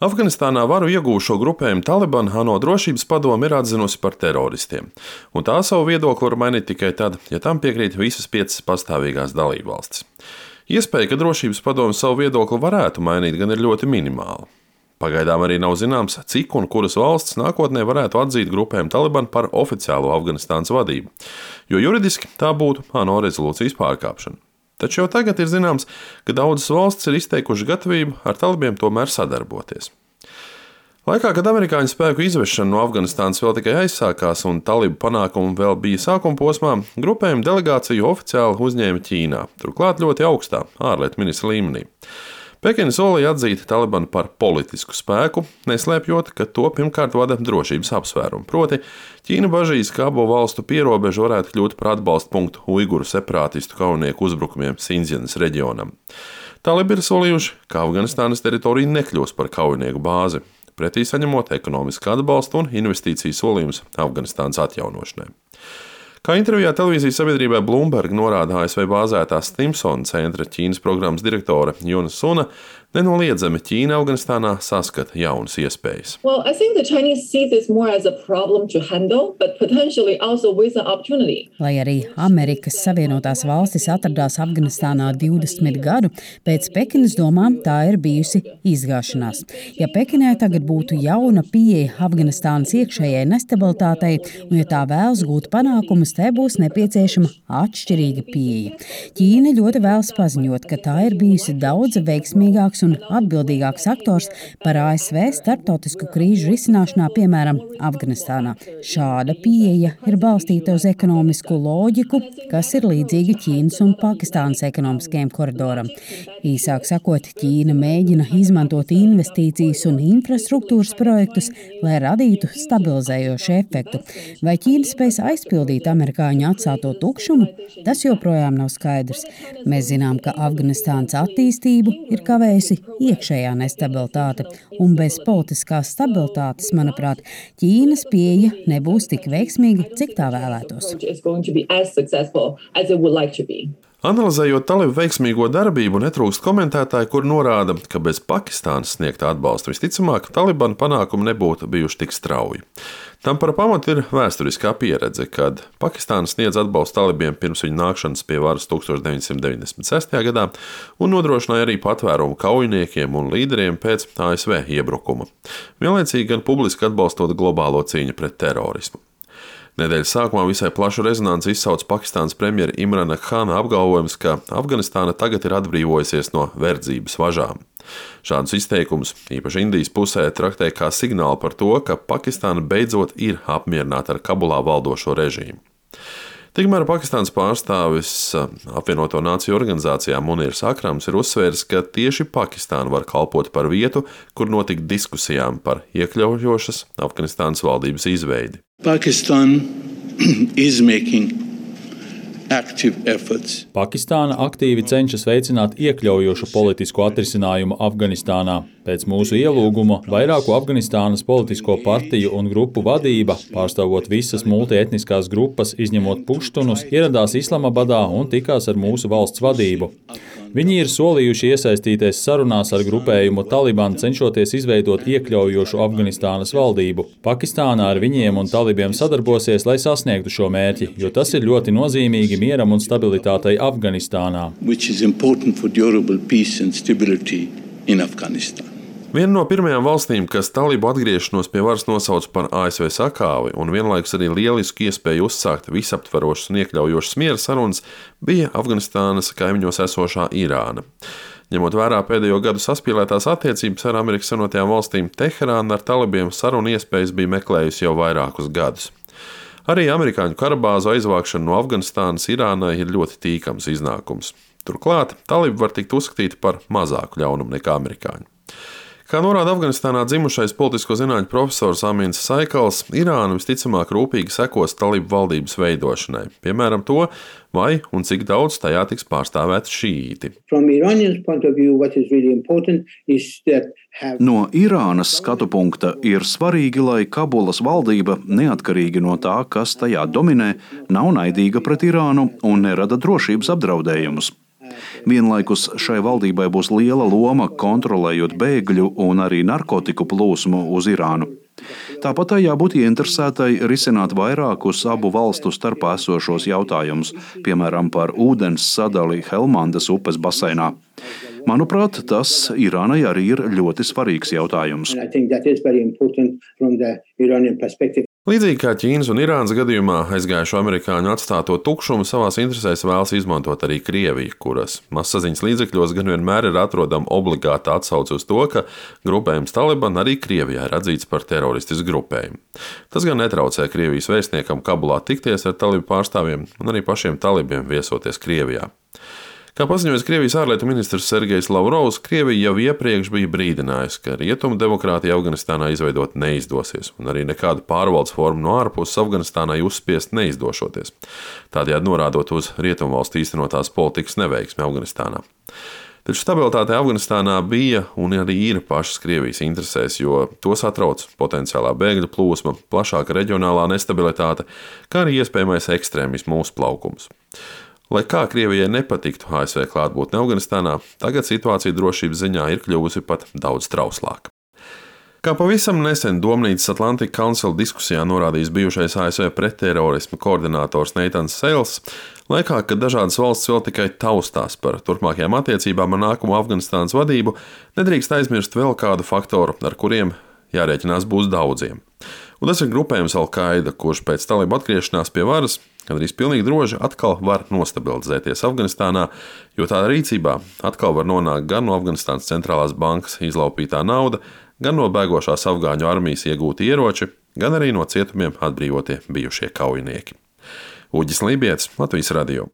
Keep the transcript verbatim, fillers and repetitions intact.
Afganistānā varu iegūšo grupējumu Taliban ANO drošības padome ir atzinusi par teroristiem, un tā savu viedokli var mainīt tikai tad, ja tam piekrīt visas piecas pastāvīgās dalībvalstis. Iespēja, ka drošības padome savu viedokli varētu mainīt, gan ir ļoti minimāla. Pagaidām arī nav zināms, cik un kuras valsts nākotnē varētu atzīt grupējumu Taliban par oficiālo Afganistānas vadību, jo juridiski tā būtu ANO rezolūcijas pārkāpšana. Taču jau tagad ir zināms, ka daudzas valstis ir izteikušas gatavību ar talibiem tomēr sadarboties. Laikā, kad amerikāņu spēku izvešana no Afganistānas vēl tikai aizsākās un talibu panākumi vēl bija sākuma posmā, grupējuma delegāciju oficiāli uzņēma Ķīnā, turklāt ļoti augstā ārlietu ministra līmenī. Pekina solīja atzīt Talibanu par politisku spēku, neslēpjot, ka to pirmkārt vada drošības apsvērumi. Proti, Ķīna bažīs, ka abu valstu pierobeža varētu kļūt par atbalstu punktu uiguru separātistu kaujinieku uzbrukumiem Sindzjanas reģionam. Talibi ir solījuši, ka Afganistānas teritorija nekļūs par kaujinieku bāzi, pretī saņemot ekonomisku atbalstu un investīciju solījumus Afganistānas atjaunošanai. Kā intervijā televīzijas sabiedrībai Bloomberg norāda A S V bāzētā Stimsona centra Ķīnas programmas direktore Juna Suna, nenoliedzami Ķīna Afganistānā saskata jaunas iespējas. Well, I think the Chinese see this more as a problem to handle, but potentially also with an opportunity. Lai arī Amerikas Savienotās valstis atradās Afganistānā divdesmit gadu, pēc Pekinas domām tā ir bijusi izgāšanās. Ja Pekinai tagad būtu jauna pieeja Afganistānas iekšējai nestabilitātei, un ja tā vēlas gūt panākumus, te būs nepieciešama atšķirīga pieeja. Ķīna ļoti vēlas paziņot, ka tā ir bijusi daudz veiksmīgāks un atbildīgāks aktors par A S V starptautisku krīžu risināšanā, piemēram, Afganistānā. Šāda pieeja ir balstīta uz ekonomisku loģiku, kas ir līdzīga Ķīnas un Pakistānas ekonomiskajam koridoram. Īsāk sakot, Ķīna mēģina izmantot investīcijas un infrastruktūras projektus, lai radītu stabilizējošu efektu. Vai Ķīna spēs aizpildīt amerikāņu atstāto tukšumu? Tas joprojām nav skaidrs. Mēs zinām, ka Afganistānas attīstību ir kavējusi iekšējā nestabilitāte, un bez politiskās stabilitātes, manuprāt, Ķīnas pieeja nebūs tik veiksmīga, cik tā vēlētos. Analizējot talibu veiksmīgo darbību, netrūkst komentētāji, kur norāda, ka bez Pakistānas sniegta atbalsta visticamāk Talibanu panākumi nebūtu bijuši tik strauji. Tam par pamatu ir vēsturiskā pieredze, kad Pakistāna sniedz atbalstu talibiem pirms viņa nākšanas pie varas tukstovs deviņsimt deviņdesmit sestajā gadā un nodrošināja arī patvērumu kaujiniekiem un līderiem pēc A S V iebrukuma, vienlaicīgi gan publiski atbalstot globālo cīņu pret terorismu. Nedēļas sākumā visai plašu rezonanci izsauca Pakistānas premjera Imrana Khana apgalvojums, ka Afganistāna tagad ir atbrīvojusies no verdzības važām. Šādus izteikumus, īpaši Indijas pusē, traktē kā signālu par to, ka Pakistāna beidzot ir apmierināta ar Kabulā valdošo režīmu. Tikmēr Pakistānas pārstāvis apvienoto nāciju organizācijā Munīrs Akrams ir uzsvērs, ka tieši Pakistāna var kalpot par vietu, kur notikt diskusijām par iekļaujošas Afganistānas valdības izveidi. Pakistan is making active efforts. Pakistāna aktīvi cenšas veicināt iekļaujošu politisku atrisinājumu Afganistānā. Pēc mūsu ielūguma vairāku Afganistānas politisko partiju un grupu vadība, pārstāvot visas multietniskās grupas, izņemot puštunus, ieradās Islamabadā un tikās ar mūsu valsts vadību. Viņi ir solījuši iesaistīties sarunās ar grupējumu Taliban, cenšoties izveidot iekļaujošu Afganistānas valdību. Pakistāna ar viņiem un talibiem sadarbosies, lai sasniegtu šo mērķi, jo tas ir ļoti nozīmīgi mieram un stabilitātei Afganistānā. Viena no pirmajām valstīm, kas talibu atgriešanos pie varas nosauca par A S V sakāvi un vienlaikus arī lielisku iespēju uzsākt visaptverošas un iekļaujošas miera sarunas, bija Afganistānas kaimiņos esošā Irāna. Ņemot vērā pēdējo gadu saspīlētās attiecības ar Amerikas Savienotajām valstīm, Teherāna ar talibiem sarunu iespējas bija meklējusi jau vairākus gadus. Arī amerikāņu karabāzu aizvākšana no Afganistānas Irānai ir ļoti tīkams iznākums. Turklāt talibi var tikt uzskatīti par mazāku ļaunumu nekā amerikāņi. Kā norāda Afganistānā dzimušais politisko zinātņu profesors Amins Saikals, Irāna visticamāk rūpīgi sekos talibu valdības veidošanai, piemēram to, vai un cik daudz tajā tiks pārstāvēti šīīti. No Irānas skatu punkta ir svarīgi, lai Kabulas valdība, neatkarīgi no tā, kas tajā dominē, nav naidīga pret Irānu un nerada drošības apdraudējumus. Vienlaikus šai valdībai būs liela loma kontrolējot bēgļu un arī narkotiku plūsmu uz Irānu. Tāpat tai jābūt ieinteresētai risināt vairākus abu valstu starpā esošos jautājumus, piemēram, par ūdens sadali Helmandas upes baseinā. Manuprāt, tas Irānai arī ir ļoti svarīgs jautājums. Līdzīgi kā Ķīnas un Irānas gadījumā, aizgājušo amerikāņu atstāto tukšumu savās interesēs vēlas izmantot arī Krievija, kuras mazsaziņas līdzekļos gan vienmēr ir atrodama obligāta atsauce uz to, ka grupējums Taliban arī Krievijā ir atzīts par teroristisku grupējumu. Tas gan netraucē Krievijas vēstniekam Kabulā tikties ar talibu pārstāvjiem un arī pašiem talibiem viesoties Krievijā. Kā paziņoja Krievijas ārlietu ministrs Sergejs Lavrovs, Krievija jau iepriekš bija brīdinājusi, ka rietumu demokrātija Afganistānā izveidot neizdosies, un arī nekādu pārvaldes formu no ārpuses Afganistānai uzspiest neizdošoties, tādējādi norādot uz rietumu valstu īstenotās politikas neveiksmi Afganistānā. Taču stabilitāte Afganistānā bija un arī ir pašas Krievijas interesēs, jo to satrauc potenciālā bēgļu plūsma, plašāka reģionālā nestabilitāte, kā arī iespējamais ekstrēmismu uzplaukums. Lai kā Krievijai nepatiktu A S V klātbūtne Afganistānā, tagad situācija drošības ziņā ir kļuvusi pat daudz trauslāka. Kā pavisam nesen Domnīcas Atlantic Council diskusijā norādījis bijušais A S V pretterorisma koordinators Neitans Seils, laikā, kad dažādas valsts vēl tikai taustās par turpmākajām attiecībām ar nākamo Afganistānas vadību, nedrīkst aizmirst vēl kādu faktoru, ar kuriem jārēķinās būs daudziem. Un tas ir grupējums Al-Qaida, kurš pēc talibu atgriešanās pie varas gandrīz pilnīgi droši atkal var nostabilizēties Afganistānā, jo tā rīcībā atkal var nonākt gan no Afganistānas centrālās bankas izlaupītā nauda, gan no bēgošās afgāņu armijas iegūti ieroči, gan arī no cietumiem atbrīvotie bijušie kaujinieki. Uģis Lībietis, Latvijas radio.